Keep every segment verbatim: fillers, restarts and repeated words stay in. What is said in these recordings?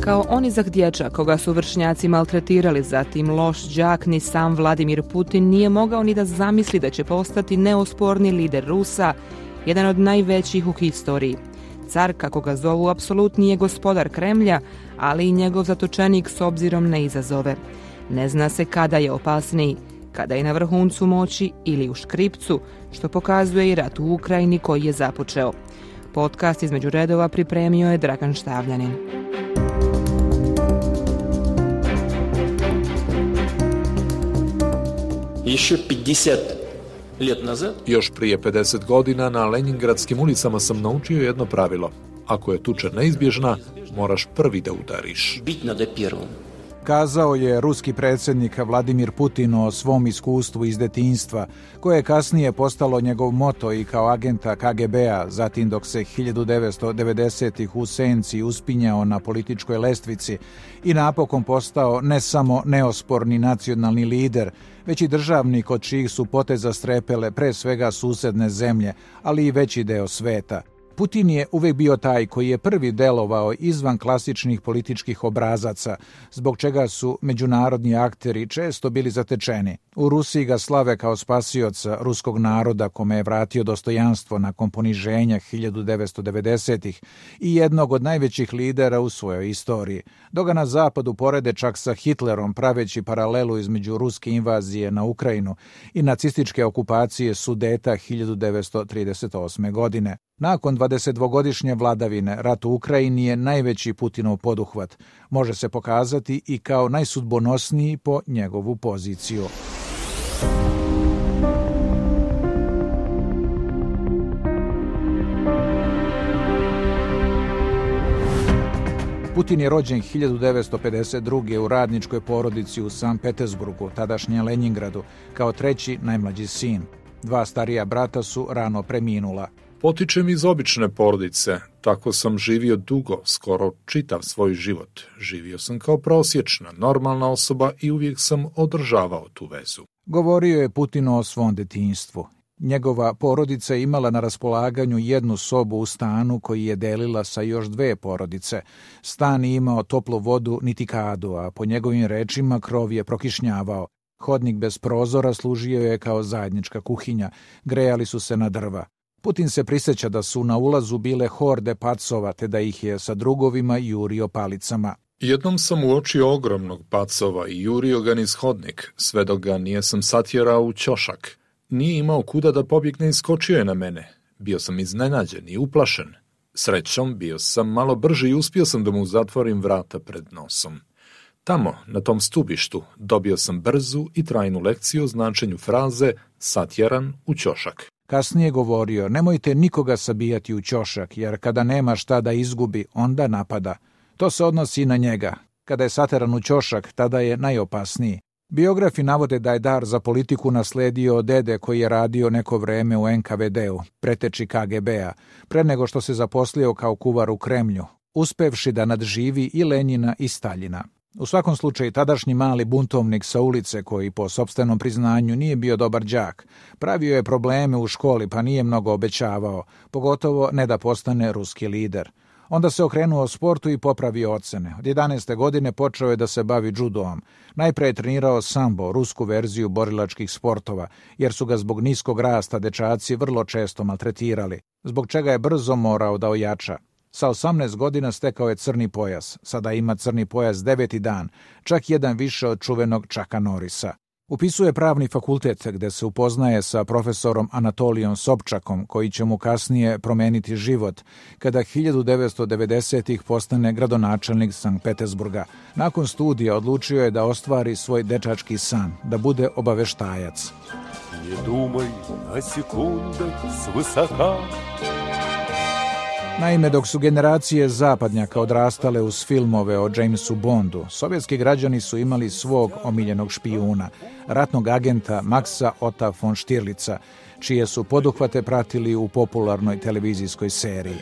Kao onizak dječak koga su vršnjaci maltretirali, zatim loš đak, ni sam Vladimir Putin nije mogao ni da zamisli da će postati neosporni lider Rusa, jedan od najvećih u historiji. Car, kako ga zovu, apsolutni je gospodar Kremlja, ali i njegov zatočenik s obzirom na izazove. Ne zna se kada je opasniji, kada je na vrhuncu moći ili u škripcu, što pokazuje i rat u Ukrajini koji je započeo. Podcast između redova pripremio je Dragan Štavljanin. Još prije pedeset godina na Leningradskim ulicama sam naučio jedno pravilo. Ako je tuča neizbježna, moraš prvi da udariš. Kazao je ruski predsjednik Vladimir Putin o svom iskustvu iz detinjstva, koje je kasnije postalo njegov moto i kao agenta K G B-a, zatim dok se hiljadu devetsto devedesetih u senci uspinjao na političkoj lestvici i napokon postao ne samo neosporni nacionalni lider, već i državnik od čijih su poteza strepele pre svega susedne zemlje, ali i veći deo sveta. Putin je uvijek bio taj koji je prvi delovao izvan klasičnih političkih obrazaca, zbog čega su međunarodni akteri često bili zatečeni. U Rusiji ga slave kao spasioca ruskog naroda kome je vratio dostojanstvo nakon poniženja hiljadu devetsto devedesetih i jednog od najvećih lidera u svojoj istoriji. Dok ga na zapadu porede čak sa Hitlerom, praveći paralelu između ruske invazije na Ukrajinu i nacističke okupacije Sudeta hiljadu devetsto trideset osme. godine. Nakon dvadesetdvogodišnje vladavine, rat u Ukrajini je najveći Putinov poduhvat. Može se pokazati i kao najsudbonosniji po njegovu poziciju. Putin je rođen hiljadu devetsto pedeset druge. u radničkoj porodici u Sankt Petersburgu, tadašnjem Leningradu, kao treći najmlađi sin. Dva starija brata su rano preminula. Potičem iz obične porodice, tako sam živio dugo, skoro čitav svoj život. Živio sam kao prosječna, normalna osoba i uvijek sam održavao tu vezu. Govorio je Putin o svom detinjstvu. Njegova porodica je imala na raspolaganju jednu sobu u stanu koji je delila sa još dve porodice. Stan je imao toplu vodu niti kadu, a po njegovim rečima krov je prokišnjavao. Hodnik bez prozora služio je kao zajednička kuhinja, grejali su se na drva. Putin se prisjeća da su na ulazu bile horde pacova, te da ih je sa drugovima jurio palicama. Jednom sam uočio ogromnog pacova i jurio ga niz hodnik, sve dok ga nijesam satjerao u ćošak. Nije imao kuda da pobjegne i skočio je na mene. Bio sam iznenađen i uplašen. Srećom, bio sam malo brži i uspio sam da mu zatvorim vrata pred nosom. Tamo, na tom stubištu, dobio sam brzu i trajnu lekciju o značenju fraze satjeran u ćošak. Kasnije govorio, nemojte nikoga sabijati u ćošak, jer kada nema šta da izgubi, onda napada. To se odnosi i na njega. Kada je sateran u ćošak, tada je najopasniji. Biografi navode da je dar za politiku nasledio od dede koji je radio neko vreme u N K V D-u, preteči K G B-a, pre nego što se zaposlio kao kuvar u Kremlju, uspevši da nadživi i Lenjina i Staljina. U svakom slučaju, tadašnji mali buntovnik sa ulice, koji po sopstvenom priznanju nije bio dobar đak, pravio je probleme u školi pa nije mnogo obećavao, pogotovo ne da postane ruski lider. Onda se okrenuo sportu i popravio ocene. Od jedanaeste godine počeo je da se bavi džudoom. Najpre je trenirao sambo, rusku verziju borilačkih sportova, jer su ga zbog niskog rasta dečaci vrlo često maltretirali, zbog čega je brzo morao da ojača. Sa osamnaest godina stekao je crni pojas, sada ima crni pojas deveti dan, čak jedan više od čuvenog Chucka Norrisa. Upisuje pravni fakultet gde se upoznaje sa profesorom Anatolijom Sobčakom, koji će mu kasnije promeniti život, kada hiljadu devetsto devedesetih postane gradonačelnik Sankt Petersburga. Nakon studija odlučio je da ostvari svoj dečački san, da bude obaveštajac. Ne dumaj na sekundah s visoka. Naime, dok su generacije zapadnjaka odrastale uz filmove o Jamesu Bondu, sovjetski građani su imali svog omiljenog špijuna, ratnog agenta Maxa Otta von Stirlica, čije su poduhvate pratili u popularnoj televizijskoj seriji.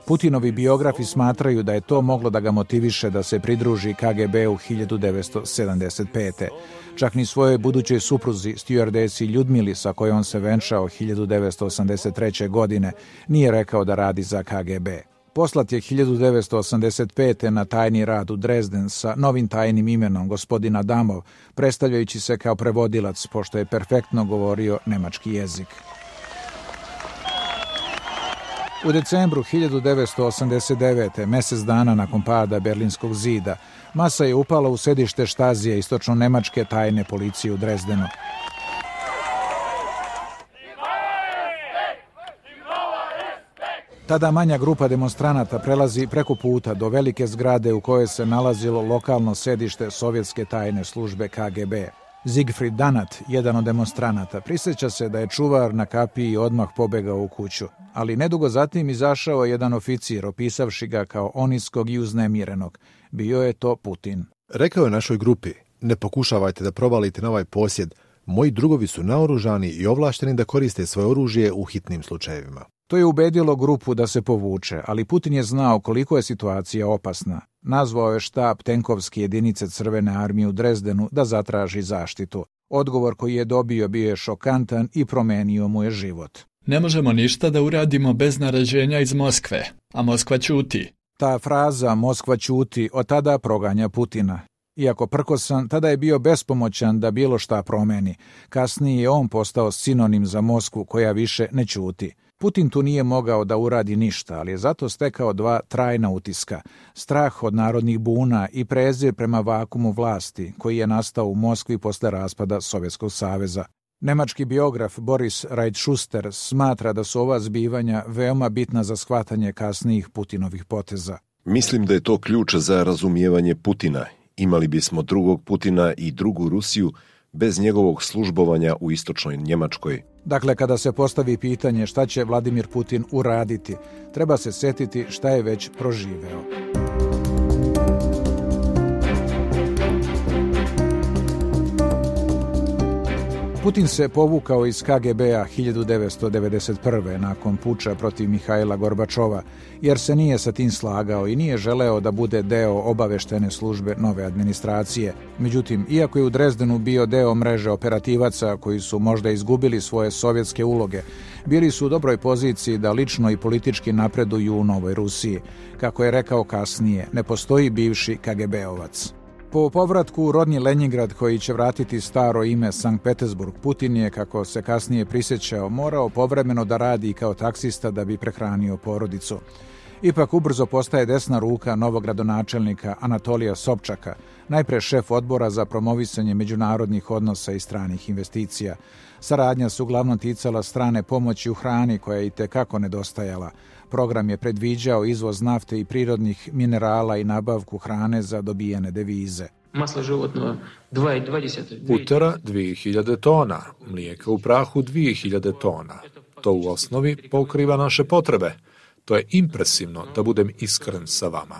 Putinovi biografi smatraju da je to moglo da ga motiviše da se pridruži K G B u hiljadu devetsto sedamdeset pete. Čak ni svojoj budućoj supruzi, stjuardesi Ljudmili, sa kojom se venčao hiljadu devetsto osamdeset treće. godine, nije rekao da radi za K G B. Poslat je hiljadu devetsto osamdeset pete na tajni rad u Dresden sa novim tajnim imenom gospodin Adamov, predstavljajući se kao prevodilac, pošto je perfektno govorio nemački jezik. U decembru hiljadu devetsto osamdeset devete, mjesec dana nakon pada Berlinskog zida, masa je upala u sedište Štazije istočno-nemačke tajne policije u Dresdenu. Tada manja grupa demonstranata prelazi preko puta do velike zgrade u kojoj se nalazilo lokalno sedište sovjetske tajne službe K G B. Siegfried Danat, jedan od demonstranata, prisjeća se da je čuvar na kapiji odmah pobegao u kuću, ali nedugo zatim izašao jedan oficir, opisavši ga kao oniskog i uznemirenog. Bio je to Putin. Rekao je našoj grupi, ne pokušavajte da provalite na ovaj posjed, moji drugovi su naoružani i ovlašteni da koriste svoje oružje u hitnim slučajevima. To je ubedilo grupu da se povuče, ali Putin je znao koliko je situacija opasna. Nazvao je štab tenkovske jedinice Crvene armije u Dresdenu da zatraži zaštitu. Odgovor koji je dobio bio je šokantan i promenio mu je život. Ne možemo ništa da uradimo bez naređenja iz Moskve, a Moskva ćuti. Ta fraza Moskva ćuti od tada proganja Putina. Iako prkosan, tada je bio bespomoćan da bilo šta promeni. Kasnije je on postao sinonim za Moskvu koja više ne ćuti. Putin tu nije mogao da uradi ništa, ali je zato stekao dva trajna utiska. Strah od narodnih buna i prezir prema vakumu vlasti, koji je nastao u Moskvi posle raspada Sovjetskog saveza. Nemački biograf Boris Reitschuster smatra da su ova zbivanja veoma bitna za shvatanje kasnijih Putinovih poteza. Mislim da je to ključ za razumijevanje Putina. Imali bismo drugog Putina i drugu Rusiju bez njegovog službovanja u istočnoj Njemačkoj. Dakle, kada se postavi pitanje šta će Vladimir Putin uraditi, treba se setiti šta je već proživeo. Putin se povukao iz K G B-a hiljadu devetsto devedeset prve. nakon puča protiv Mihajla Gorbačova, jer se nije sa tim slagao i nije želeo da bude deo obaveštene službe nove administracije. Međutim, iako je u Dresdenu bio deo mreže operativaca koji su možda izgubili svoje sovjetske uloge, bili su u dobroj poziciji da lično i politički napreduju u Novoj Rusiji. Kako je rekao kasnije, ne postoji bivši K G B-ovac. Po povratku u rodni Lenjingrad, koji će vratiti staro ime Sankt Petersburg, Putin je, kako se kasnije prisjećao, morao povremeno da radi kao taksista da bi prehranio porodicu. Ipak ubrzo postaje desna ruka novog gradonačelnika Anatolija Sobčaka, najpre šef odbora za promovisanje međunarodnih odnosa i stranih investicija. Saradnja se uglavnom ticala strane pomoći u hrani koja je itekako nedostajala. Program je predviđao izvoz nafte i prirodnih minerala i nabavku hrane za dobijene devize. Maslo životno dva i dvadeset. Utera dvije hiljade tona, mlijeka u prahu dvije hiljade tona. To u osnovi pokriva naše potrebe. To je impresivno, da budem iskren sa vama.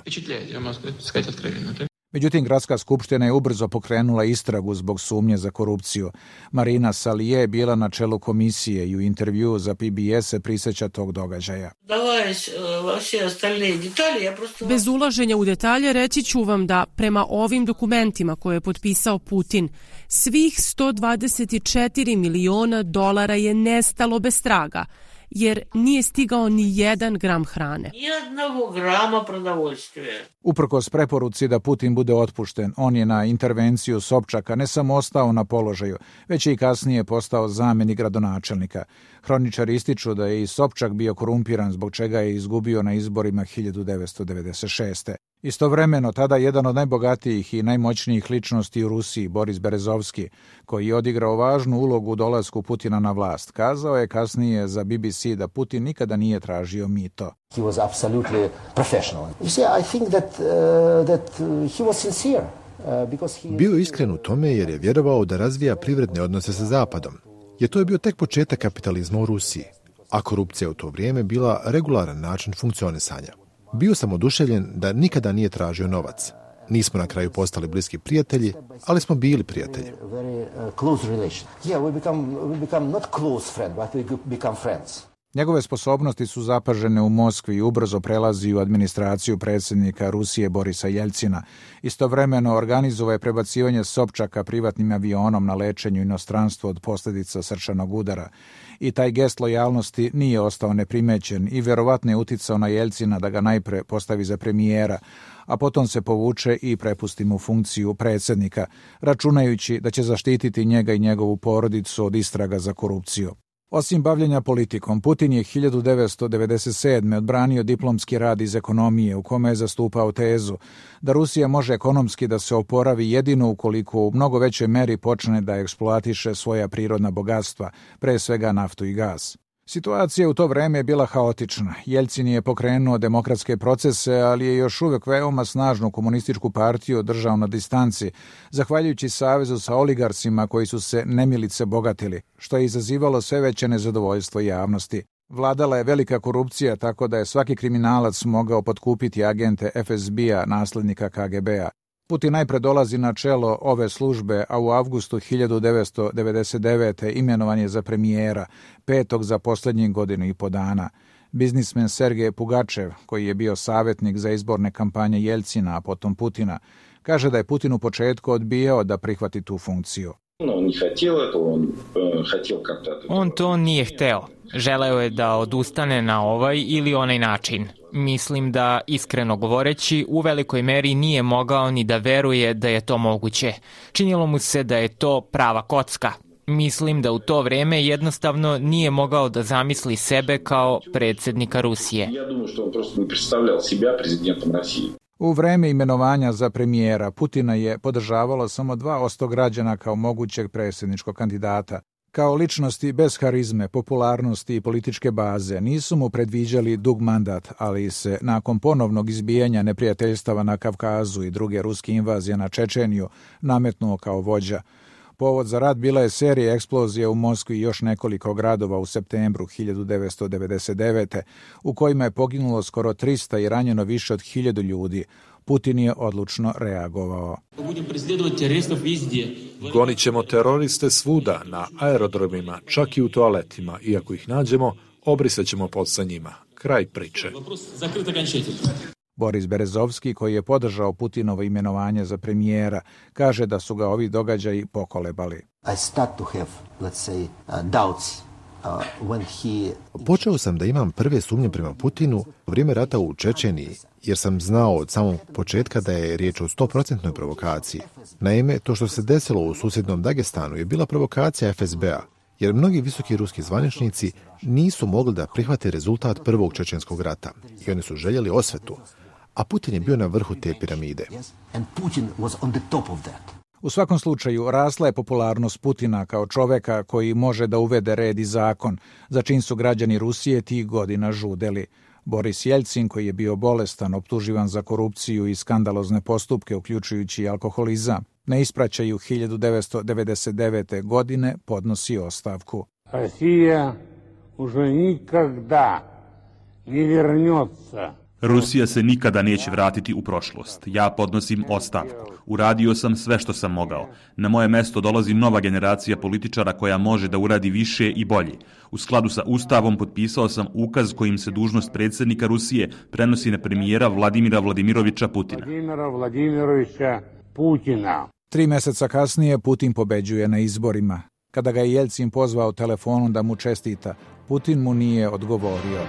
Međutim, Gradska skupština je ubrzo pokrenula istragu zbog sumnje za korupciju. Marina Salije je bila na čelu komisije i u intervju za P B S se prisjeća tog događaja. Bez ulaženja u detalje reći ću vam da prema ovim dokumentima koje je potpisao Putin, svih sto dvadeset četiri miliona dolara je nestalo bez traga, jer nije stigao ni jedan gram hrane. Jednog grama продовольствия. Uprkos preporuci da Putin bude otpušten, on je na intervenciju Sobčaka ne samo ostao na položaju, već je i kasnije postao zamjenik gradonačelnika. Hroničari ističu da je i Sobčak bio korumpiran, zbog čega je izgubio na izborima hiljadu devetsto devedeset šeste. Istovremeno, tada jedan od najbogatijih i najmoćnijih ličnosti u Rusiji, Boris Berezovski, koji je odigrao važnu ulogu u dolasku Putina na vlast, kazao je kasnije za B B C da Putin nikada nije tražio mito. He was absolutely professional. You see, I think that uh, that he was sincere. Uh, bio je iskren u tome jer je vjerovao da razvija privredne odnose sa Zapadom. Jer to je bio tek početak kapitalizma u Rusiji, a korupcija u to vrijeme bila regularan način funkcionisanja. Bio sam oduševljen da nikada nije tražio novac. Nismo na kraju postali bliski prijatelji, ali smo bili prijatelji. Njegove sposobnosti su zapažene u Moskvi i ubrzo prelazi u administraciju predsjednika Rusije Borisa Jeljcina. Istovremeno organizovao je prebacivanje Sobčaka privatnim avionom na lečenju inostranstvu od posljedica srčanog udara. I taj gest lojalnosti nije ostao neprimećen i vjerovatno je uticao na Jeljcina da ga najpre postavi za premijera, a potom se povuče i prepusti mu funkciju predsjednika, računajući da će zaštititi njega i njegovu porodicu od istraga za korupciju. Osim bavljenja politikom, Putin je hiljadu devetsto devedeset sedme. odbranio diplomski rad iz ekonomije u kome je zastupao tezu da Rusija može ekonomski da se oporavi jedino ukoliko u mnogo većoj meri počne da eksploatiše svoja prirodna bogatstva, pre svega naftu i gas. Situacija u to vreme je bila haotična. Jeljcin je pokrenuo demokratske procese, ali je još uvijek veoma snažnu komunističku partiju držao na distanci, zahvaljujući savezu sa oligarsima koji su se nemilice bogatili, što je izazivalo sve veće nezadovoljstvo javnosti. Vladala je velika korupcija, tako da je svaki kriminalac mogao potkupiti agente F S B-a, naslednika K G B-a. Putin najpre dolazi na čelo ove službe, a u avgustu hiljadu devetsto devedeset devete. imenovan je za premijera, petog za posljednjih godinu i po dana. Biznismen Sergej Pugačev, koji je bio savjetnik za izborne kampanje Jeljcina, a potom Putina, kaže da je Putin u početku odbijao da prihvati tu funkciju. On to nije hteo. Želeo je da odustane na ovaj ili onaj način. Mislim da, iskreno govoreći, u velikoj meri nije mogao ni da veruje da je to moguće. Činilo mu se da je to prava kocka. Mislim da u to vreme jednostavno nije mogao da zamisli sebe kao predsjednika Rusije. U vreme imenovanja za premijera Putina je podržavalo samo dva posto građana kao mogućeg predsjedničkog kandidata. Kao ličnosti bez harizme, popularnosti i političke baze nisu mu predviđali dug mandat, ali se nakon ponovnog izbijanja neprijateljstava na Kavkazu i druge ruske invazije na Čečeniju nametnuo kao vođa. Povod za rat bila je serija eksplozija u Moskvi i još nekoliko gradova u septembru hiljadu devetsto devedeset devete. u kojima je poginulo skoro trista i ranjeno više od hiljadu ljudi. Putin je odlučno reagovao. Gonit ćemo teroriste svuda, na aerodromima, čak i u toaletima. Iako ih nađemo, obrisat ćemo pod sa njima. Kraj priče. Boris Berezovski, koji je podržao Putinovo imenovanje za premijera, kaže da su ga ovi događaji pokolebali. I start to have, let's say, uh, doubts. Uh, when he... Počeo sam da imam prve sumnje prema Putinu u vrijeme rata u Čečeniji, jer sam znao od samog početka da je riječ o sto procentnoj provokaciji. Naime, to što se desilo u susjednom Dagestanu je bila provokacija F S B-a, jer mnogi visoki ruski zvaničnici nisu mogli da prihvate rezultat prvog čečenskog rata i oni su željeli osvetu, a Putin je bio na vrhu te piramide. U svakom slučaju, rasla je popularnost Putina kao čoveka koji može da uvede red i zakon, za čim su građani Rusije tih godina žudeli. Boris Jeljcin, koji je bio bolestan, optuživan za korupciju i skandalozne postupke, uključujući alkoholizam, na ispraćaju hiljadu devetsto devedeset devete. godine podnosi ostavku. Rusija už nikada ne vernется. Rusija se nikada neće vratiti u prošlost. Ja podnosim ostavku. Uradio sam sve što sam mogao. Na moje mesto dolazi nova generacija političara koja može da uradi više i bolje. U skladu sa Ustavom potpisao sam ukaz kojim se dužnost predsjednika Rusije prenosi na premijera Vladimira Vladimirovića Putina. Vladimira Vladimirovića Putina. Tri mjeseca kasnije Putin pobeđuje na izborima. Kada ga je Jeljcin pozvao telefonom da mu čestita, Putin mu nije odgovorio.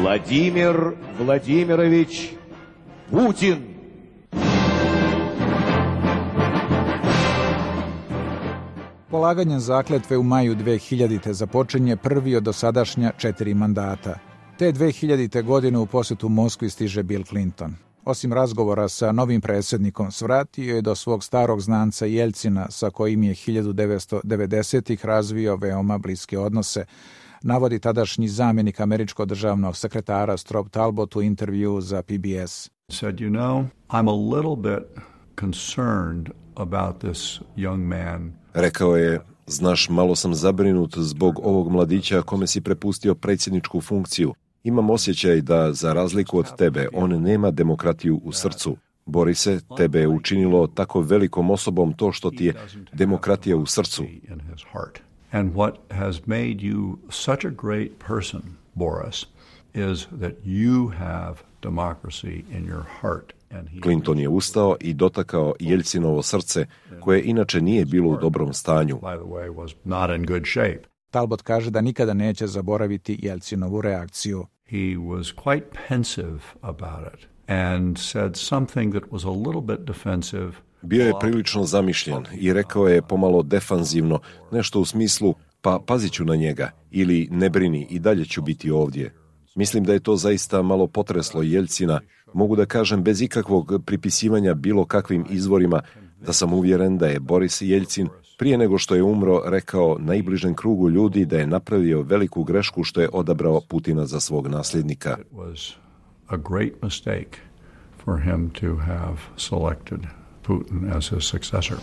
Vladimir Vladimirović Putin. Polaganjem zakletve u maju dve hiljadite. započinje prvi od dosadašnja četiri mandata. Te dve hiljadite. godine u posjetu Moskvi stiže Bill Clinton. Osim razgovora sa novim predsjednikom, svratio je do svog starog znanca Jeljcina, sa kojim je hiljadu devetsto devedesetih. razvio veoma bliske odnose, navodi tadašnji zamjenik američkog državnog sekretara Strobe Talbot u intervju za P B S. Said, you know, I'm a little bit concerned about this young man. Rekao je, znaš, malo sam zabrinut zbog ovog mladića kome si prepustio predsjedničku funkciju. Imam osjećaj da, za razliku od tebe, on nema demokratiju u srcu. Borise, tebe je učinilo tako velikom osobom to što ti je demokratija u srcu. And what has made you such a great person, Boris, is that you have democracy in your heart. Clinton je ustao i dotakao Jeljcinovo srce, koje inače nije bilo u dobrom stanju. Talbot kaže da nikada neće zaboraviti Jeljcinovu reakciju. He was quite pensive about it and said something that was a little bit defensive. Bio je prilično zamišljen i rekao je pomalo defanzivno, nešto u smislu pa pazit ću na njega ili ne brini i dalje ću biti ovdje. Mislim da je to zaista malo potreslo Jeljcina. Mogu da kažem bez ikakvog pripisivanja bilo kakvim izvorima da sam uvjeren da je Boris Jeljcin prije nego što je umro rekao najbližem krugu ljudi da je napravio veliku grešku što je odabrao Putina za svog nasljednika. It was a great mistake for him to have selected Putin as his successor.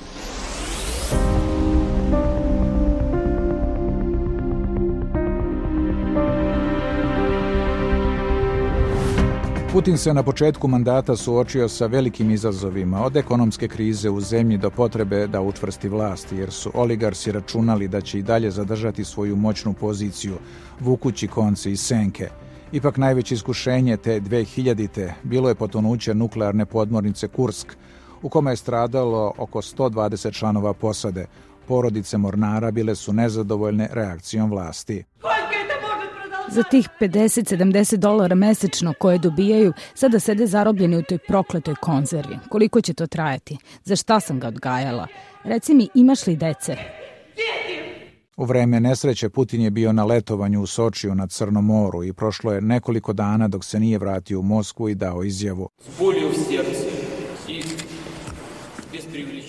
Putin se na početku mandata suočio sa velikim izazovima, od ekonomske krize u zemlji do potrebe da učvrsti vlast, jer su oligarsi računali da će i dalje zadržati svoju moćnu poziciju, vukući konce i senke. Ipak najveće iskušenje te dve hiljadite bilo je potonuće nuklearne podmornice Kursk, u kome je stradalo oko sto dvadeset članova posade. Porodice mornara bile su nezadovoljne reakcijom vlasti. Za tih pedeset sedamdeset dolara mesečno koje dobijaju, sada sede zarobljeni u toj prokletoj konzervi. Koliko će to trajati? Za šta sam ga odgajala? Reci mi, imaš li dece? U vreme nesreće Putin je bio na letovanju u Sočiju na Crnom moru i prošlo je nekoliko dana dok se nije vratio u Moskvu i dao izjavu.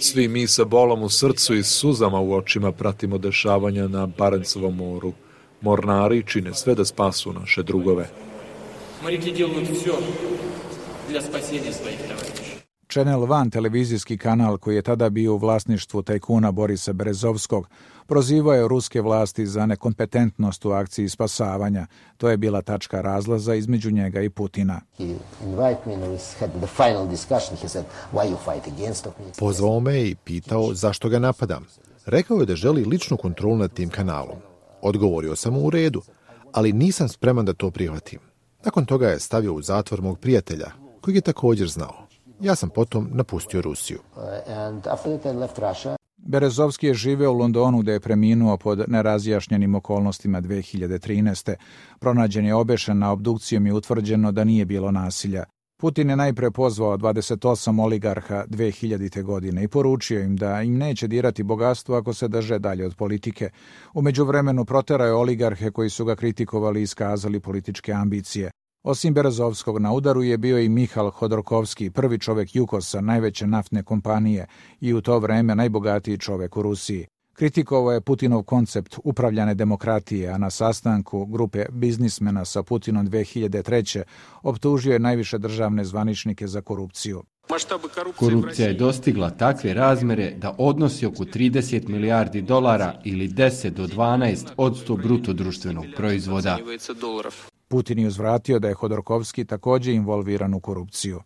Svi mi sa bolom u srcu i suzama u očima pratimo dešavanja na Barencovom moru. Mornari čine sve da spasu naše drugove. Channel One, televizijski kanal koji je tada bio u vlasništvu tajkuna Borisa Berezovskog, prozivao je ruske vlasti za nekompetentnost u akciji spasavanja. To je bila tačka razlaza između njega i Putina. Pozvao me i pitao zašto ga napadam. Rekao je da želi ličnu kontrolu nad tim kanalom. Odgovorio sam mu u redu, ali nisam spreman da to prihvatim. Nakon toga je stavio u zatvor mog prijatelja, kojeg je također znao. Ja sam potom napustio Rusiju. Berezovski je živeo u Londonu gde je preminuo pod nerazjašnjenim okolnostima dve hiljade trinaeste. Pronađen je obešen, na obdukcijom je utvrđeno da nije bilo nasilja. Putin je najpre pozvao dvadeset osam oligarha dve hiljadite godine i poručio im da im neće dirati bogatstvo ako se drže dalje od politike. U međuvremenu proterao je oligarhe koji su ga kritikovali i iskazali političke ambicije. Osim Berezovskog, na udaru je bio i Mihal Hodorkovski, prvi čovek Jukosa, najveće naftne kompanije i u to vreme najbogatiji čovek u Rusiji. Kritikovao je Putinov koncept upravljane demokratije, a na sastanku grupe biznismena sa Putinom dve hiljade treće optužio je najviše državne zvaničnike za korupciju. Korupcija je dostigla takve razmere da odnosi oko trideset milijardi dolara ili deset do dvanaest odsto bruto društvenog proizvoda. Putin je uzvratio da je Hodorkovski također involviran u korupciju.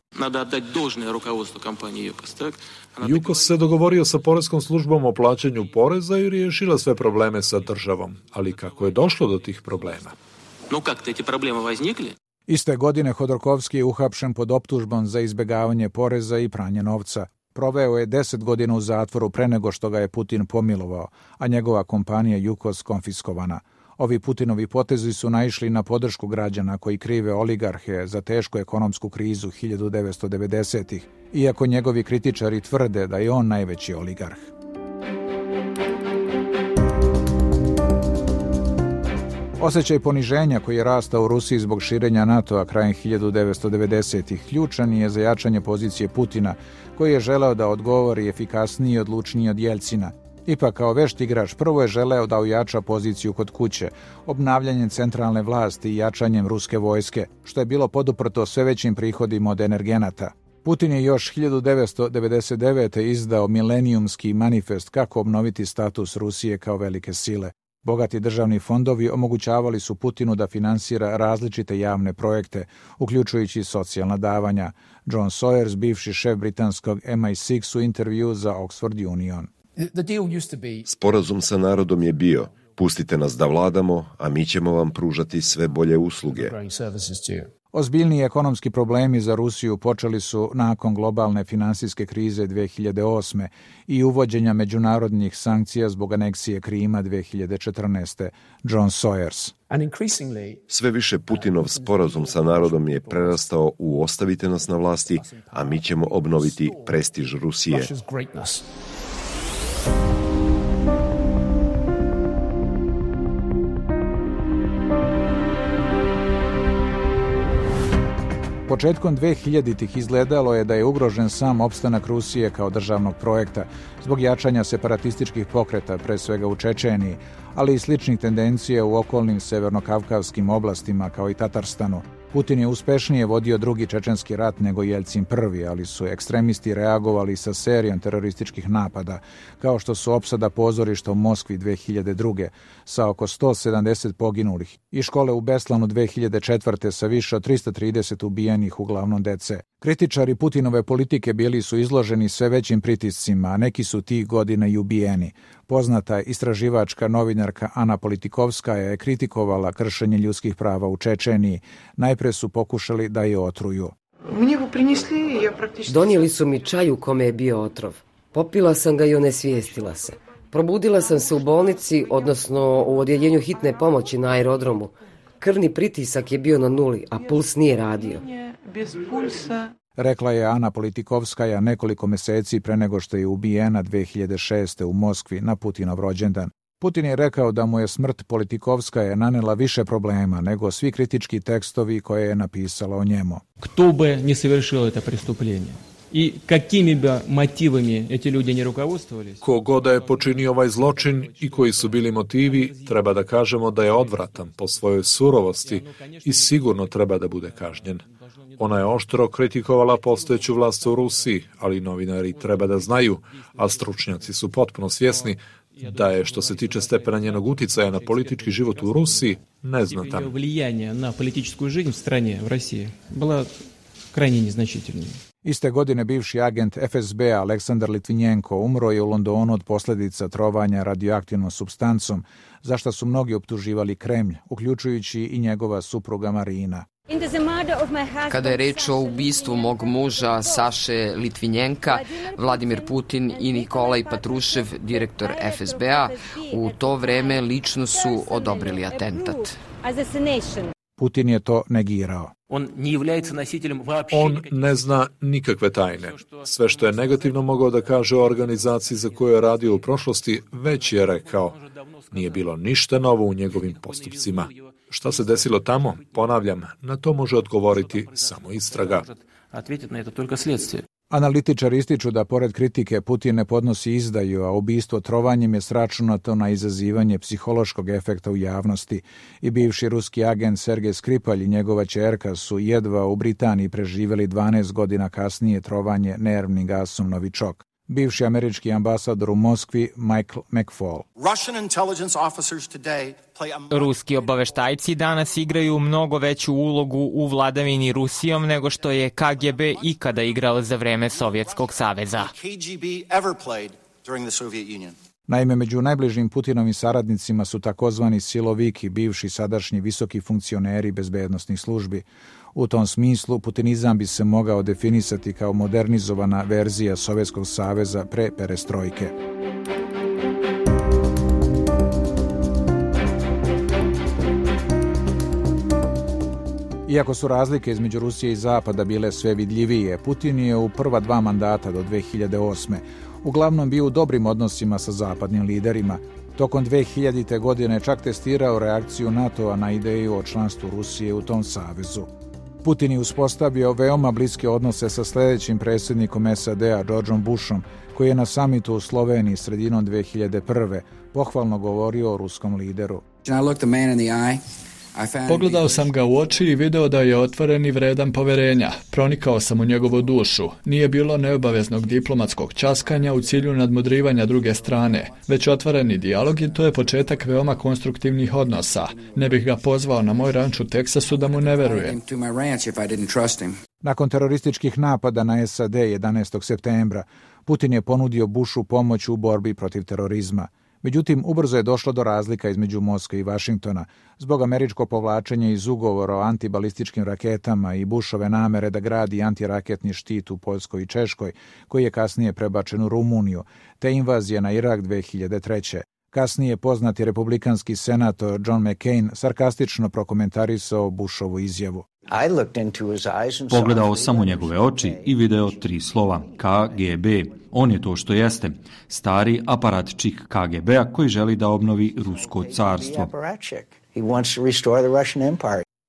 Jukos se dogovorio sa poreskom službom o plaćanju poreza i riješila sve probleme sa državom. Ali kako je došlo do tih problema? Iste godine Hodorkovski je uhapšen pod optužbom za izbjegavanje poreza i pranje novca. Proveo je deset godina u zatvoru pre nego što ga je Putin pomilovao, a njegova kompanija Jukos konfiskovana. Ovi Putinovi potezi su naišli na podršku građana koji krive oligarhe za tešku ekonomsku krizu hiljadu devetsto devedesetih, iako njegovi kritičari tvrde da je on najveći oligarh. Osjećaj poniženja koji je rastao u Rusiji zbog širenja NATO-a krajem hiljadu devetsto devedesetih ključan je za jačanje pozicije Putina, koji je želeo da odgovori efikasniji i odlučniji od Jeljcina. Ipak, kao vešt igrač, prvo je želeo da ojača poziciju kod kuće, obnavljanjem centralne vlasti i jačanjem ruske vojske, što je bilo poduprto sve većim prihodima od energenata. Putin je još hiljadu devetsto devedeset devete. izdao milenijumski manifest kako obnoviti status Rusije kao velike sile. Bogati državni fondovi omogućavali su Putinu da finansira različite javne projekte, uključujući socijalna davanja. John Sawyers, bivši šef britanskog M I šest u intervju za Oxford Union. Sporazum sa narodom je bio Pustite nas da vladamo, a mi ćemo vam pružati sve bolje usluge. Ozbiljniji ekonomski problemi za Rusiju počeli su nakon globalne finansijske krize dve hiljade osme i uvođenja međunarodnih sankcija zbog aneksije Krima dve hiljade četrnaeste. John Sawyers. Sve više Putinov sporazum sa narodom je prerastao u ostavite nas na vlasti, a mi ćemo obnoviti prestiž Rusije. Početkom dve hiljaditih izgledalo je da je ugrožen sam opstanak Rusije kao državnog projekta zbog jačanja separatističkih pokreta, pre svega u Čečeniji, ali i sličnih tendencija u okolnim severnokavkavskim oblastima kao i Tatarstanu. Putin je uspešnije vodio drugi čečenski rat nego Jeljcin prvi, ali su ekstremisti reagovali sa serijom terorističkih napada, kao što su opsada pozorišta u Moskvi dve hiljade druge sa oko sto sedamdeset poginulih i škole u Beslanu dve hiljade četvrte sa više od trista trideset ubijenih, uglavnom dece. Kritičari Putinove politike bili su izloženi sve većim pritiscima, a neki su tih godina i ubijeni. Poznata istraživačka novinarka Ana Politikovskaja je kritikovala kršenje ljudskih prava u Čečeniji. Najpre su pokušali da je otruju. Donijeli su mi čaj u kome je bio otrov. Popila sam ga i onesvijestila se. Probudila sam se u bolnici, odnosno u odjeljenju hitne pomoći na aerodromu. Krvni pritisak je bio na nuli, a puls nije radio. Rekla je Ana Politikovskaja nekoliko meseci pre nego što je ubijena dve hiljade šeste. u Moskvi na Putinov rođendan. Putin je rekao da mu je smrt Politikovskaja nanela više problema nego svi kritički tekstovi koje je napisala o njemu. Kto bi ne совершил это преступление? I kakimi bi motivima eti ljudi ne rukovodствовались? Kogoda je počinio ovaj zločin i koji su bili motivi, treba da kažemo da je odvratan po svojoj surovosti i sigurno treba da bude kažnjen. Ona je oštro kritikovala postojeću vlast u Rusiji, ali novinari treba da znaju, a stručnjaci su potpuno svjesni da je, što se tiče stepena njenog uticaja na politički život u Rusiji, neznatan. Влияние на политическую жизнь в стране, в России, было крайне незначительным. Iste godine bivši agent F S B Aleksandar Litvinenko umro je u Londonu od posljedica trovanja radioaktivnom supstancom, za što su mnogi optuživali Kremlj, uključujući i njegova supruga Marina. Kada je reč o ubistvu mog muža Saše Litvinjenka, Vladimir Putin i Nikolaj Patrušev, direktor F S B-a, u to vreme lično su odobrili atentat. Putin je to negirao. On ne zna nikakve tajne. Sve što je negativno mogao da kaže o organizaciji za koju je radio u prošlosti, već je rekao. Nije bilo ništa novo u njegovim postupcima. Šta se desilo tamo? Ponavljam, na to može odgovoriti samo istraga. Analitičari ističu da pored kritike Putin ne podnosi izdaju, a ubistvo trovanjem je sračunato na izazivanje psihološkog efekta u javnosti. I bivši ruski agent Sergej Skripalj i njegova ćerka su jedva u Britaniji preživjeli dvanaest godina kasnije trovanje nervnim gasom novičok. Bivši američki ambasador u Moskvi Michael McFaul. Ruski obaveštajci danas igraju mnogo veću ulogu u vladavini Rusijom nego što je K G B ikada igrao za vreme Sovjetskog saveza. Naime, među najbližim Putinovim saradnicima su takozvani siloviki, bivši sadašnji visoki funkcioneri bezbednosnih službi. U tom smislu, putinizam bi se mogao definisati kao modernizovana verzija Sovjetskog saveza pre perestrojke. Iako su razlike između Rusije i Zapada bile sve vidljivije, Putin je u prva dva mandata do dve hiljade osme uglavnom bio u dobrim odnosima sa zapadnim liderima. Tokom dve hiljadite. godine čak testirao reakciju NATO-a na ideju o članstvu Rusije u tom savezu. Putin je uspostavio veoma bliske odnose sa sljedećim predsjednikom S A D-a, Georgeom Bushom, koji je na samitu u Sloveniji sredinom dve hiljade prve. pohvalno govorio o ruskom lideru. Pogledao sam ga u oči i video da je otvoren i vredan poverenja. Pronikao sam u njegovu dušu. Nije bilo neobaveznog diplomatskog časkanja u cilju nadmudrivanja druge strane, već otvoreni dijalog i to je početak veoma konstruktivnih odnosa. Ne bih ga pozvao na moj ranč u Teksasu da mu ne verujem. Nakon terorističkih napada na S A D jedanaestog septembra, Putin je ponudio Bushu pomoć u borbi protiv terorizma. Međutim, ubrzo je došlo do razlika između Moskve i Vašingtona zbog američkog povlačenja iz ugovora o antibalističkim raketama i Bushove namere da gradi antiraketni štit u Poljskoj i Češkoj, koji je kasnije prebačen u Rumuniju, te invazije na Irak dve hiljade treće. Kasnije poznati republikanski senator John McCain sarkastično prokomentarisao Bushovu izjavu. Pogledao sam u njegove oči i video tri slova K G B. On je to što jeste, stari aparatčik K G B-a koji želi da obnovi Rusko carstvo.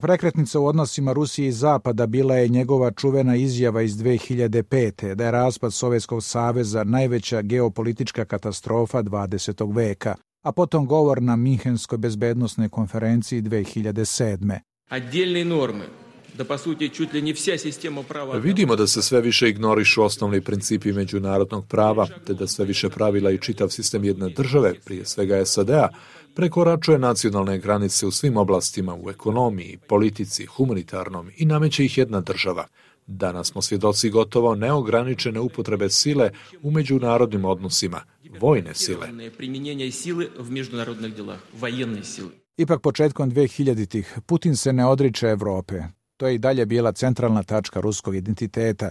Prekretnica u odnosima Rusije i Zapada bila je njegova čuvena izjava iz dve hiljade pete da je raspad Sovjetskog saveza najveća geopolitička katastrofa dvadesetog veka, a potom govor na Minhenskoj bezbednosnoj konferenciji dve hiljade sedme. Отдельные нормы, да по сути чуть ли не вся система права. Vidimo da se sve više ignorišu osnovni principi međunarodnog prava, te da sve više pravila i čitav sistem jedne države, prije svega S A D-a, prekoračuje nacionalne granice u svim oblastima, u ekonomiji, politici, humanitarnom i nameće ih jedna država. Danas smo svjedoci gotovo neograničene upotrebe sile u međunarodnim odnosima, vojne sile. Ipak početkom dve hiljaditih Putin se ne odriče Evrope. To je i dalje bila centralna tačka ruskog identiteta,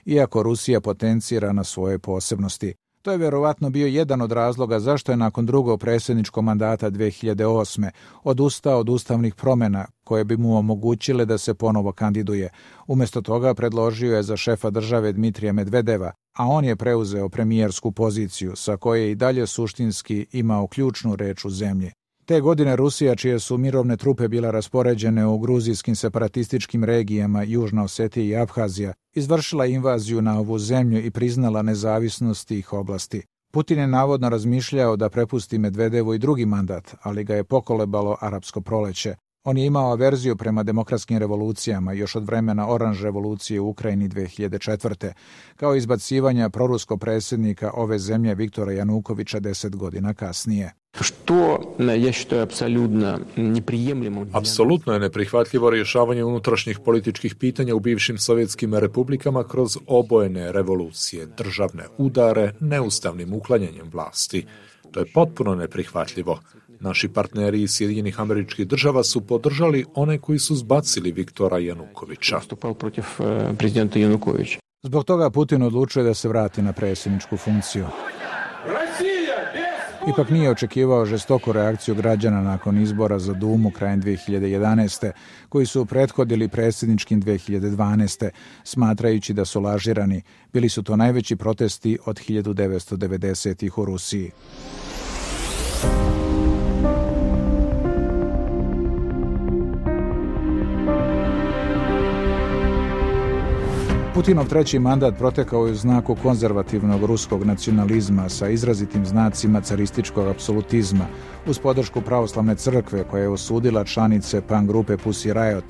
iako Rusija potencira na svoje posebnosti. To je vjerovatno bio jedan od razloga zašto je nakon drugog predsjedničkog mandata dve hiljade osme odustao od ustavnih promjena koje bi mu omogućile da se ponovo kandiduje. Umjesto toga predložio je za šefa države Dmitrija Medvedeva, a on je preuzeo premijersku poziciju sa koje je i dalje suštinski imao ključnu reč u zemlji. Te godine Rusija, čije su mirovne trupe bile raspoređene u gruzijskim separatističkim regijama Južna Osetija i Abhazija, izvršila invaziju na ovu zemlju i priznala nezavisnost tih oblasti. Putin je navodno razmišljao da prepusti Medvedevu i drugi mandat, ali ga je pokolebalo arapsko proleće. On je imao averziju prema demokratskim revolucijama još od vremena Oranž revolucije u Ukrajini dve hiljade četvrte, kao izbacivanja proruskog predsjednika ove zemlje Viktora Janukovića deset godina kasnije. Apsolutno je neprihvatljivo rješavanje unutrašnjih političkih pitanja u bivšim sovjetskim republikama kroz obojene revolucije, državne udare, neustavnim uklanjanjem vlasti. To je potpuno neprihvatljivo. Naši partneri iz Sjedinjenih Američkih Država su podržali one koji su zbacili Viktora Janukovića. Zbog toga Putin odlučuje da se vrati na predsjedničku funkciju. Ipak nije očekivao žestoku reakciju građana nakon izbora za Dumu krajem dve hiljade jedanaeste, koji su prethodili predsjedničkim dve hiljade dvanaeste, smatrajući da su lažirani. Bili su to najveći protesti od hiljadu devetsto devedesetih u Rusiji. Putinov treći mandat protekao je u znaku konzervativnog ruskog nacionalizma sa izrazitim znacima carističkog apsolutizma, uz podršku pravoslavne crkve koja je osudila članice punk grupe Pussy Riot,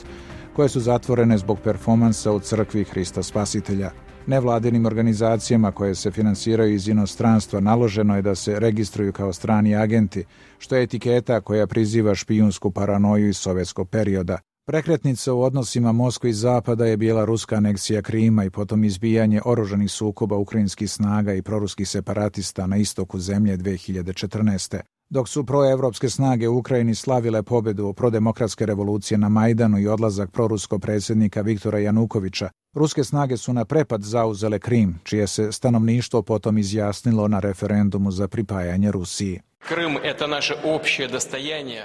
koje su zatvorene zbog performansa u crkvi Hrista Spasitelja. Nevladinim organizacijama koje se finansiraju iz inostranstva naloženo je da se registruju kao strani agenti, što je etiketa koja priziva špijunsku paranoju iz sovjetskog perioda. Prekretnica u odnosima Moskve i Zapada je bila ruska aneksija Krima i potom izbijanje oružanih sukoba ukrajinskih snaga i proruskih separatista na istoku zemlje dve hiljade četrnaeste. Dok su proevropske snage u Ukrajini slavile pobjedu prodemokratske revolucije na Majdanu i odlazak proruskog predsjednika Viktora Janukovića, ruske snage su na prepad zauzele Krim, čije se stanovništvo potom izjasnilo na referendumu za pripajanje Rusiji.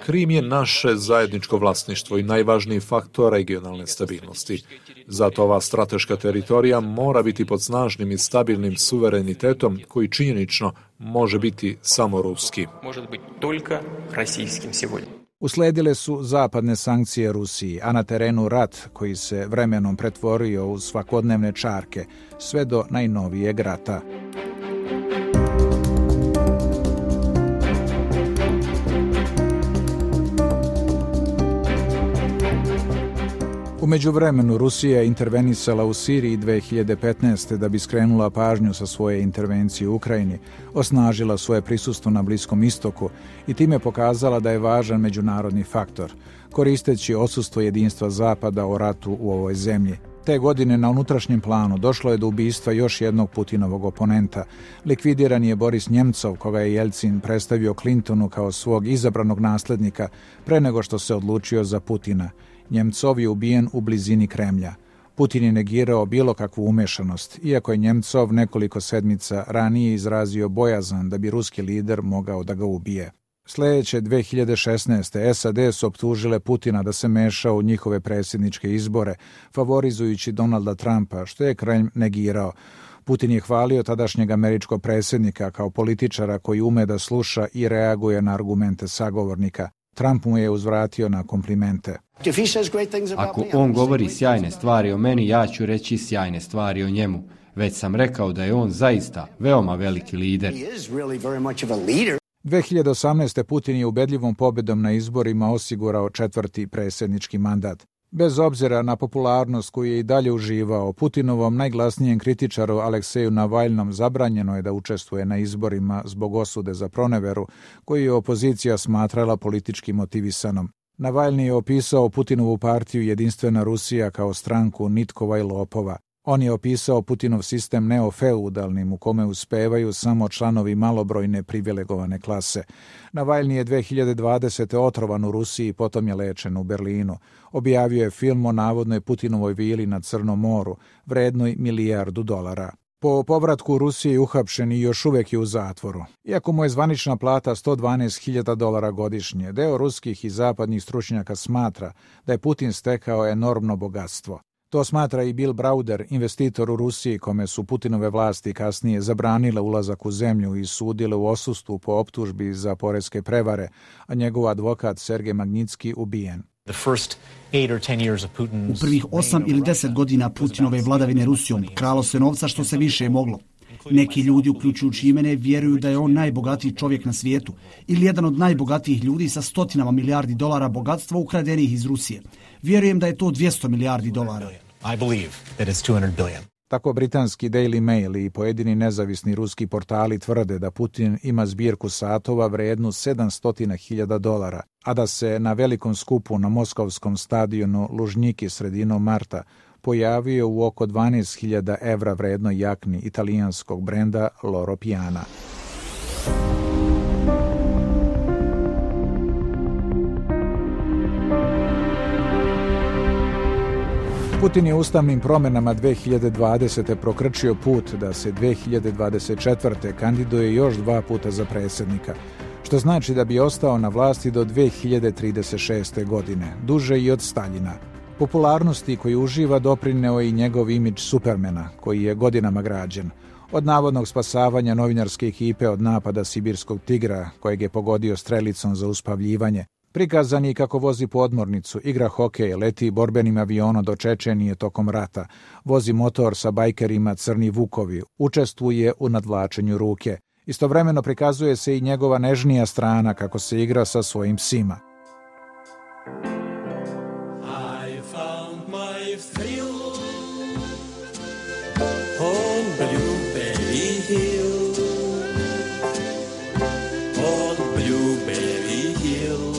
Krim je naše zajedničko vlasništvo i najvažniji faktor regionalne stabilnosti. Zato ova strateška teritorija mora biti pod snažnim i stabilnim suverenitetom koji činjenično može biti samo ruski. Usledile su zapadne sankcije Rusiji, a na terenu rat koji se vremenom pretvorio u svakodnevne čarke, sve do najnovijeg rata. U međuvremenu Rusija je intervenisala u Siriji dve hiljade petnaeste da bi skrenula pažnju sa svoje intervencije u Ukrajini, osnažila svoje prisustvo na Bliskom istoku i time pokazala da je važan međunarodni faktor, koristeći odsustvo jedinstva Zapada o ratu u ovoj zemlji. Te godine na unutrašnjem planu došlo je do ubistva još jednog Putinovog oponenta. Likvidiran je Boris Njemcov, koga je Jelcin predstavio Clintonu kao svog izabranog naslednika pre nego što se odlučio za Putina. Njemcov je ubijen u blizini Kremlja. Putin je negirao bilo kakvu umešanost, iako je Njemcov nekoliko sedmica ranije izrazio bojazan da bi ruski lider mogao da ga ubije. Sljedeće dve hiljade šesnaeste. S A D su optužile Putina da se meša u njihove predsjedničke izbore, favorizujući Donalda Trumpa, što je Kremlj negirao. Putin je hvalio tadašnjeg američkog predsjednika kao političara koji ume da sluša i reaguje na argumente sagovornika. Trump mu je uzvratio na komplimente. Ako on govori sjajne stvari o meni, ja ću reći sjajne stvari o njemu. Već sam rekao da je on zaista veoma veliki lider. dve hiljade osamnaeste. Putin je ubedljivom pobjedom na izborima osigurao četvrti predsjednički mandat. Bez obzira na popularnost koju je i dalje uživao, Putinovom najglasnijem kritičaru Alekseju Navalnom zabranjeno je da učestvuje na izborima zbog osude za proneveru, koju je opozicija smatrala politički motivisanom. Navalni je opisao Putinovu partiju Jedinstvena Rusija kao stranku nitkova i lopova. On je opisao Putinov sistem neofeudalnim u kome uspevaju samo članovi malobrojne privilegovane klase. Navalni je dve hiljade dvadesete. otrovan u Rusiji, potom je lečen u Berlinu. Objavio je film o navodnoj Putinovoj vili na Crnom moru, vrednoj milijardu dolara. Po povratku u Rusiji je uhapšen i još uvijek je u zatvoru. Iako mu je zvanična plata sto dvanaest hiljada dolara godišnje, deo ruskih i zapadnih stručnjaka smatra da je Putin stekao enormno bogatstvo. To smatra i Bill Browder, investitor u Rusiji, kome su Putinove vlasti kasnije zabranile ulazak u zemlju i sudile u odsustvu po optužbi za poreske prevare, a njegov advokat Sergej Magnitski ubijen. U prvih osam ili deset godina Putinove vladavine Rusijom kralo se novca što se više moglo. Neki ljudi, uključujući i mene, vjeruju da je on najbogatiji čovjek na svijetu ili jedan od najbogatijih ljudi sa stotinama milijardi dolara bogatstva ukradenih iz Rusije. Vjerujem da je to dvjesto milijardi dolara. I believe that it's two hundred billion. Tako britanski Daily Mail i pojedini nezavisni ruski portali tvrde da Putin ima zbirku satova vrednu sedamsto hiljada dolara, a da se na velikom skupu na moskovskom stadionu Lužnjiki sredinom marta pojavio u oko dvanaest hiljada evra vrednoj jakni italijanskog brenda Loro Piana. Putin je ustavnim promjenama dve hiljade dvadesete. prokrčio put da se dve hiljade dvadeset četvrte. kandiduje još dva puta za predsjednika, što znači da bi ostao na vlasti do dve hiljade trideset šeste. godine, duže i od Staljina. Popularnosti koju uživa doprineo je i njegov imidž Supermana, koji je godinama građen. Od navodnog spasavanja novinarske ekipe od napada sibirskog tigra, kojeg je pogodio strelicom za uspavljivanje, prikazan je kako vozi podmornicu, igra hokej, leti borbenim avionom do Čečenije tokom rata, vozi motor sa bajkerima Crni Vukovi, učestvuje u nadvlačenju ruke. Istovremeno prikazuje se i njegova nežnija strana kako se igra sa svojim psima. I found my thrill on Blueberry Hill, on Blueberry Hill.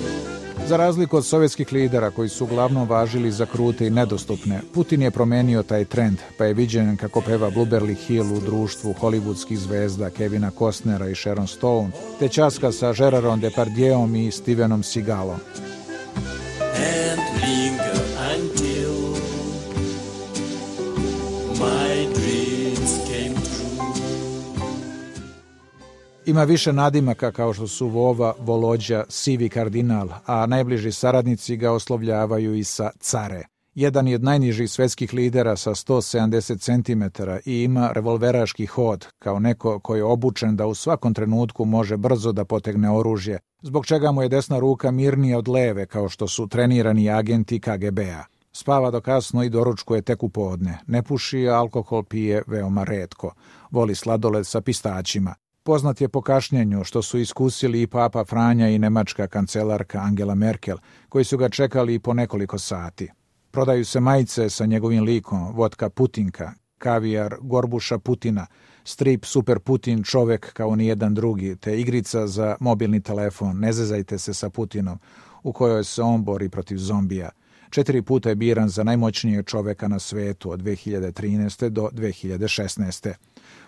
Za razliku od sovjetskih lidera koji su uglavnom važili za krute i nedostupne, Putin je promenio taj trend, pa je viđen kako peva Blueberry Hill u društvu hollywoodskih zvezda Kevina Costnera i Sharon Stone, te ćaska sa Gerarom Depardieuom i Stevenom Seagalom. And linger until my dreams came true. Ima više nadimaka kao što su Vova, Volodja, Sivi kardinal, a najbliži saradnici ga oslovljavaju i sa care. Jedan je od najnižih svetskih lidera sa sto sedamdeset centimetara i ima revolveraški hod, kao neko koji je obučen da u svakom trenutku može brzo da potegne oružje, zbog čega mu je desna ruka mirnija od leve, kao što su trenirani agenti K G B-a. Spava do kasno i doručkuje tek u podne. Ne puši, a alkohol pije veoma retko. Voli sladoled sa pistaćima. Poznat je po kašnjenju, što su iskusili i Papa Franja i nemačka kancelarka Angela Merkel, koji su ga čekali i po nekoliko sati. Prodaju se majice sa njegovim likom, vodka Putinka, kavijar Gorbuša Putina, strip Super Putin čovek kao nijedan drugi, te igrica za mobilni telefon Ne zezajte se sa Putinom, u kojoj se on bori protiv zombija. Četiri puta je biran za najmoćnijeg čoveka na svetu od dve hiljade trinaeste. do dve hiljade šesnaeste.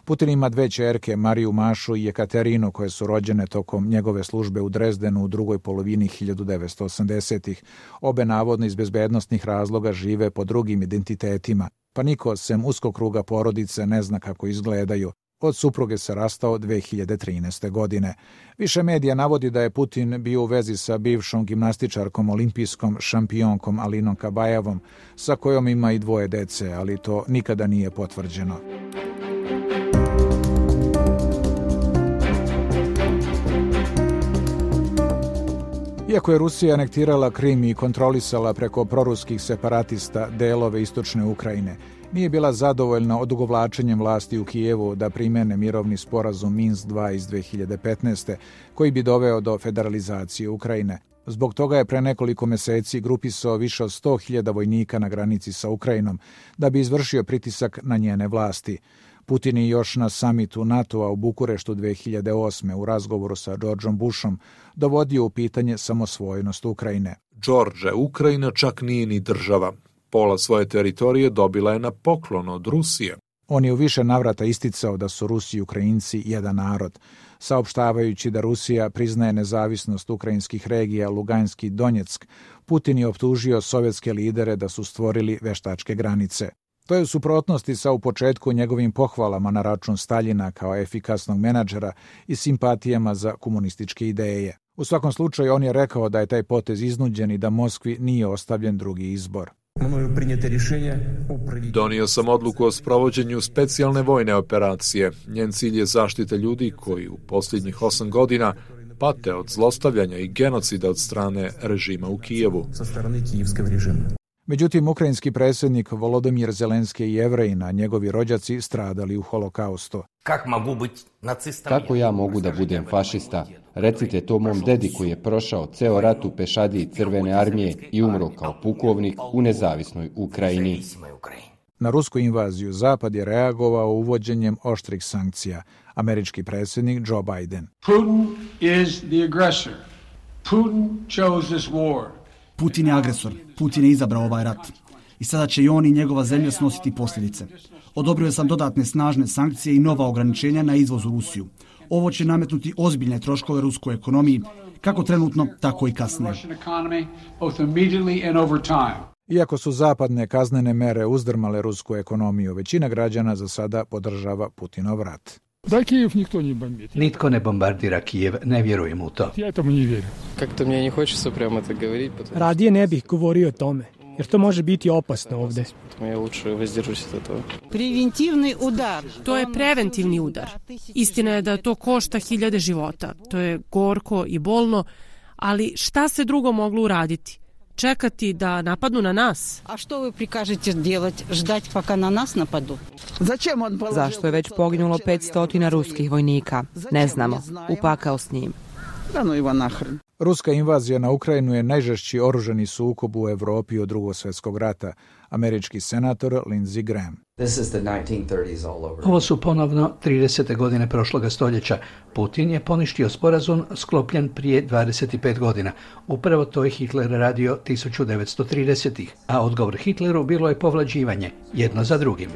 Putin ima dve ćerke, Mariju Mašu i Jekaterinu, koje su rođene tokom njegove službe u Drezdenu u drugoj polovini hiljadu devetsto osamdesetih. Obe navodno iz bezbednostnih razloga žive po drugim identitetima, pa niko sem uskog kruga porodice ne zna kako izgledaju. Od supruge se rastao dve hiljade trinaeste. godine. Više medija navodi da je Putin bio u vezi sa bivšom gimnastičarkom olimpijskom šampionkom Alinom Kabajevom, sa kojom ima i dvoje dece, ali to nikada nije potvrđeno. Iako je Rusija anektirala Krim i kontrolisala preko proruskih separatista delove istočne Ukrajine, nije bila zadovoljna odugovlačenjem vlasti u Kijevu da primene mirovni sporazum Minsk dva iz dve hiljade petnaeste. koji bi doveo do federalizacije Ukrajine. Zbog toga je pre nekoliko meseci grupisao više od sto hiljada vojnika na granici sa Ukrajinom da bi izvršio pritisak na njene vlasti. Putin je još na samitu NATO-a u Bukureštu dve hiljade osme. u razgovoru sa Georgeom Bushom dovodio u pitanje samosvojnost Ukrajine. George, Ukrajina čak nije ni država. Pola svoje teritorije dobila je na poklon od Rusije. On je u više navrata isticao da su Rusi i Ukrajinci jedan narod, saopštavajući da Rusija priznaje nezavisnost ukrajinskih regija Luganski i Donjeck. Putin je optužio sovjetske lidere da su stvorili veštačke granice. To je u suprotnosti sa u početku njegovim pohvalama na račun Staljina kao efikasnog menadžera i simpatijama za komunističke ideje. U svakom slučaju on je rekao da je taj potez iznuđen i da Moskvi nije ostavljen drugi izbor. Donio sam odluku o sprovođenju specijalne vojne operacije. Njen cilj je zaštita ljudi koji u posljednjih osam godina pate od zlostavljanja i genocida od strane režima u Kijevu. Međutim, ukrajinski predsjednik Volodymyr Zelenski i Jevrejin, a njegovi rođaci stradali u holokaustu. Kako ja mogu da budem fašista? Recite to mom dedi koji je prošao ceo rat u pešadiji Crvene armije i umro kao pukovnik u nezavisnoj Ukrajini. Na rusku invaziju Zapad je reagovao uvođenjem oštrih sankcija. Američki predsjednik Joe Biden. Putin is the aggressor. Putin chose this war. Putin je agresor. Putin je izabrao ovaj rat. I sada će i on i njegova zemlja snositi posljedice. Odobrio sam dodatne snažne sankcije i nova ograničenja na izvoz u Rusiju. Ovo će nametnuti ozbiljne troškove ruskoj ekonomiji, kako trenutno, tako i kasnije. Iako su zapadne kaznene mere uzdrmale rusku ekonomiju, većina građana za sada podržava Putinov rat. Da Kijev nikto ne bombardira. Nitko ne bombardira Kijev, ne vjerujem u to. Ja tomu ne vjerujem. Kako mi ne hoće prema to govoriti. Radije ne bih govorio o tome, jer to može biti opasno ovde. Ja luče vozdržujem se od toga. Preventivni udar. To je preventivni udar. Istina je da to košta hiljade života. To je gorko i bolno, ali šta se drugo moglo uraditi? Čekati da napadnu na nas? A što vi prikažete delati? Ždati paka na nas napadu? Zašto je već poginulo petsto ruskih vojnika? Ne znamo. Upakao s njim. Ruska invazija na Ukrajinu je najžešći oružani sukob u Evropi od Drugog svjetskog rata. Američki senator Lindsey Graham. Ovo su ponovno tridesete godine prošloga stoljeća. Putin je poništio sporazum sklopljen prije dvadeset pet godina. Upravo to je Hitler radio tisuću devetsto tridesetih. A odgovor Hitleru bilo je povlađivanje, jedno za drugim.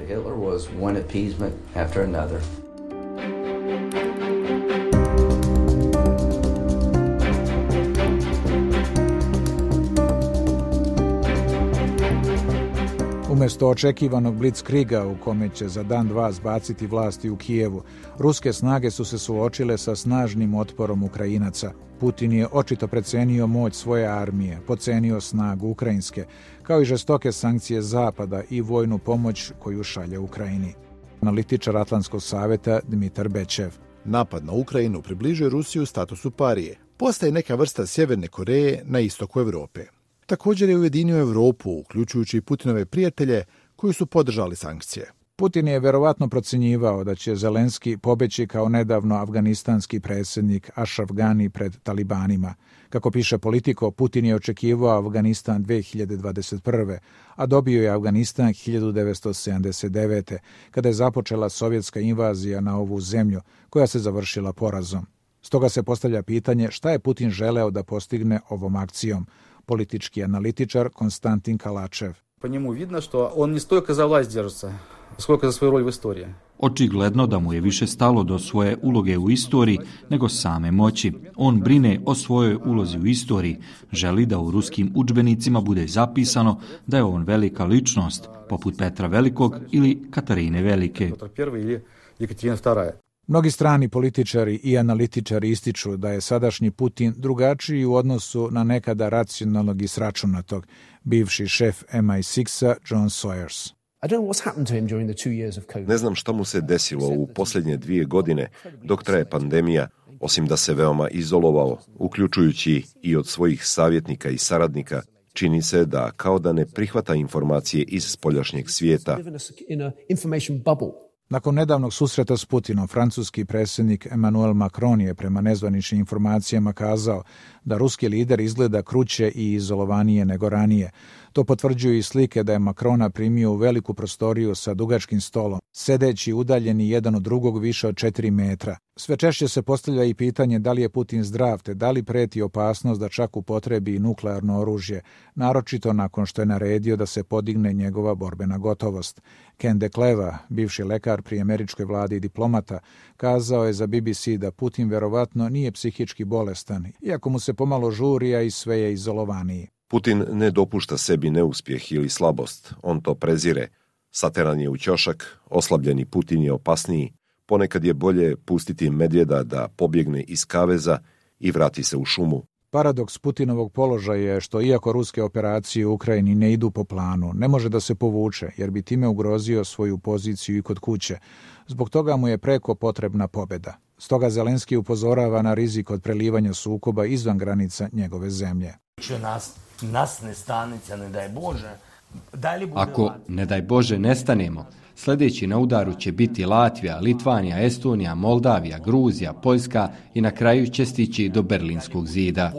Umjesto očekivanog blitzkriga u kome će za dan dva zbaciti vlasti u Kijevu, ruske snage su se suočile sa snažnim otporom Ukrajinaca. Putin je očito precenio moć svoje armije, pocenio snagu ukrajinske, kao i žestoke sankcije Zapada i vojnu pomoć koju šalje Ukrajini. Analitičar Atlantskog savjeta Dmitar Bečev. Napad na Ukrajinu približuje Rusiju statusu parije. Postaje neka vrsta Sjeverne Koreje na istoku Europe. Također je ujedinio Europu, uključujući i Putinove prijatelje koji su podržali sankcije. Putin je verovatno procjenjivao da će Zelenski pobeći kao nedavno afganistanski predsjednik Ashraf Ghani pred talibanima. Kako piše Politico, Putin je očekivao Afganistan dve hiljade dvadeset prve. a dobio je Afganistan hiljadu devetsto sedamdeset devete. kada je započela sovjetska invazija na ovu zemlju, koja se završila porazom. Stoga se postavlja pitanje šta je Putin želeo da postigne ovom akcijom. politički analitičar Konstantin Kalačev. Po njemu vidno što on ne stojka za vlast drža, skoliko za svoju rol u istoriji. Očigledno da mu je više stalo do svoje uloge u istoriji nego same moći. On brine o svojoj ulozi u istoriji, želi da u ruskim udžbenicima bude zapisano da je on velika ličnost, poput Petra Velikog ili Katarine Velike. Mnogi strani političari i analitičari ističu da je sadašnji Putin drugačiji u odnosu na nekada racionalnog i sračunatog, bivši šef M I šest-a John Sawyers. Ne znam šta mu se desilo u posljednje dvije godine dok traje pandemija, osim da se veoma izolovao, uključujući i od svojih savjetnika i saradnika. Čini se da kao da ne prihvata informacije iz spoljašnjeg svijeta. Nakon nedavnog susreta s Putinom, francuski predsjednik Emmanuel Macron je prema nezvaničnim informacijama kazao da ruski lider izgleda kruće i izolovanije nego ranije. To potvrđuju i slike da je Macrona primio u veliku prostoriju sa dugačkim stolom, sedeći udaljeni jedan od drugog više od četiri metra. Sve češće se postavlja i pitanje da li je Putin zdrav, te da li preti opasnost da čak upotrebi nuklearno oružje, naročito nakon što je naredio da se podigne njegova borbena gotovost. Ken DeCleva, bivši lekar pri američkoj vladi i diplomata, kazao je za B B C da Putin verovatno nije psihički bolestan, iako mu se pomalo žuri, a i sve je izolovaniji. Putin ne dopušta sebi neuspjeh ili slabost, on to prezire. Sateran je u ćošak, oslabljeni Putin je opasniji, ponekad je bolje pustiti medvjeda da pobjegne iz kaveza i vrati se u šumu. Paradoks Putinovog položaja je što iako ruske operacije u Ukrajini ne idu po planu, ne može da se povuče jer bi time ugrozio svoju poziciju i kod kuće. Zbog toga mu je preko potrebna pobjeda. Stoga Zelenski upozorava na rizik od prelivanja sukoba izvan granica njegove zemlje. Ako, ne daj Bože, nestanemo, sljedeći na udaru će biti Latvija, Litvanija, Estonija, Moldavija, Gruzija, Poljska i na kraju će stići do Berlinskog zida.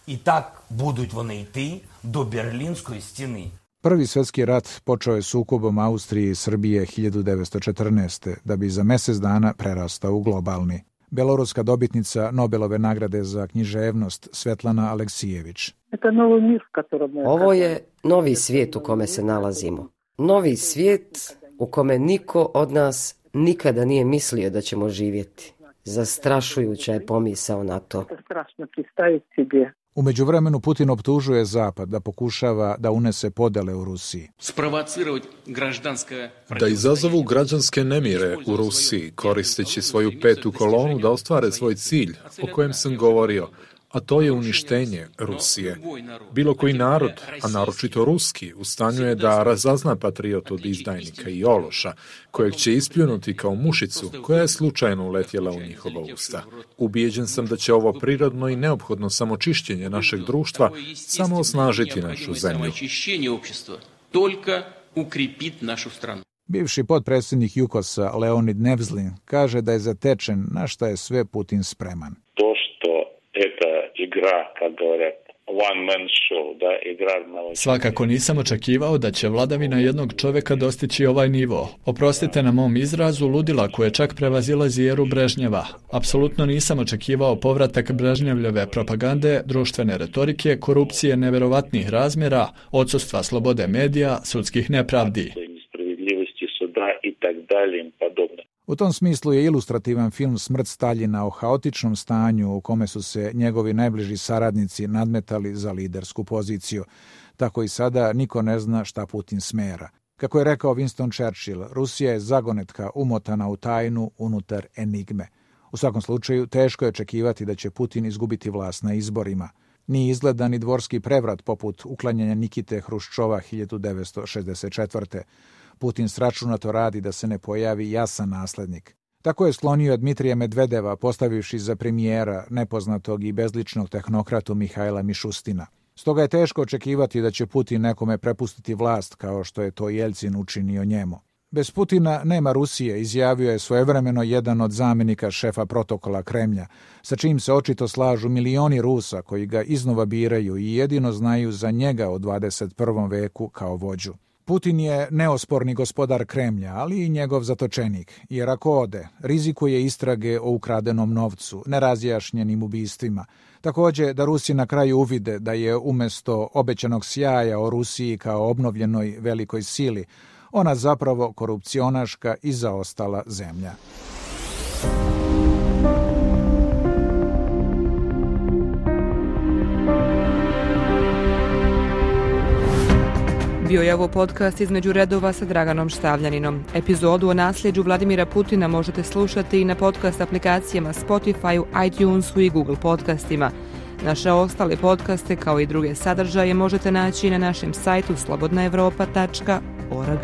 I tak buduć вони йти до Берлінської стіни. Prvi svjetski rat počeo je sukobom Austrije i Srbije hiljadu devetsto četrnaeste. da bi za mjesec dana prerastao u globalni. Beloruska dobitnica Nobelove nagrade za književnost Svetlana Aleksijević. Ovo je novi svijet u kome se nalazimo. Novi svijet u kome niko od nas nikada nije mislio da ćemo živjeti. Zastrašujuća je pomisao na to. U međuvremenu Putin optužuje Zapad da pokušava da unese podele u Rusiji. Da izazovu građanske nemire u Rusiji, koristeći svoju petu kolonu da ostvare svoj cilj o kojem sam govorio, a to je uništenje Rusije. Bilo koji narod, a naročito ruski, u stanju je da razazna patriot od izdajnika i ološa, kojeg će ispljunuti kao mušicu koja je slučajno uletjela u njihova usta. Ubijeđen sam da će ovo prirodno i neophodno samočišćenje našeg društva samo osnažiti našu zemlju. Bivši potpredsjednik Jukosa Leonid Nevzlin kaže da je zatečen na šta je sve Putin spreman. To što eta igra, kad govoret, one man show, da igra malo... Svakako nisam očekivao da će vladavina jednog čovjeka dostići ovaj nivo. Oprostite na mom izrazu, ludila koje čak prevazilazi eru Brežnjeva. Apsolutno nisam očekivao povratak Brežnjevljeve propagande, društvene retorike, korupcije neverovatnih razmjera, odsustva slobode medija, sudskih nepravdi. I tak dalje i podobno. U tom smislu je ilustrativan film Smrt Staljina o haotičnom stanju u kome su se njegovi najbliži saradnici nadmetali za lidersku poziciju. Tako i sada niko ne zna šta Putin smera. Kako je rekao Winston Churchill, Rusija je zagonetka umotana u tajnu unutar enigme. U svakom slučaju, teško je očekivati da će Putin izgubiti vlast na izborima. Nije izgleda ni dvorski prevrat poput uklanjanja Nikite Hruščova hiljadu devetsto šezdeset četvrte. Putin sračunato radi da se ne pojavi jasan naslednik. Tako je sklonio Dmitrija Medvedeva, postavivši za premijera nepoznatog i bezličnog tehnokratu Mihajla Mišustina. Stoga je teško očekivati da će Putin nekome prepustiti vlast kao što je to Jeljcin učinio njemu. Bez Putina nema Rusije, izjavio je svojevremeno jedan od zamjenika šefa protokola Kremlja, sa čim se očito slažu milioni Rusa koji ga iznova biraju i jedino znaju za njega u dvadeset prvom veku kao vođu. Putin je neosporni gospodar Kremlja, ali i njegov zatočenik, jer ako ode, rizikuje istrage o ukradenom novcu, nerazjašnjenim ubistvima. Također da Rusi na kraju uvide da je umjesto obećanog sjaja o Rusiji kao obnovljenoj velikoj sili, ona zapravo korupcionaška i zaostala zemlja. Bio je ovo podcast Između redova sa Draganom Štavljaninom. Epizodu o nasljeđu Vladimira Putina možete slušati i na podcast aplikacijama Spotify, iTunesu i Google podcastima. Naše ostale podcaste kao i druge sadržaje možete naći na našem sajtu slobodna evropa tačka org.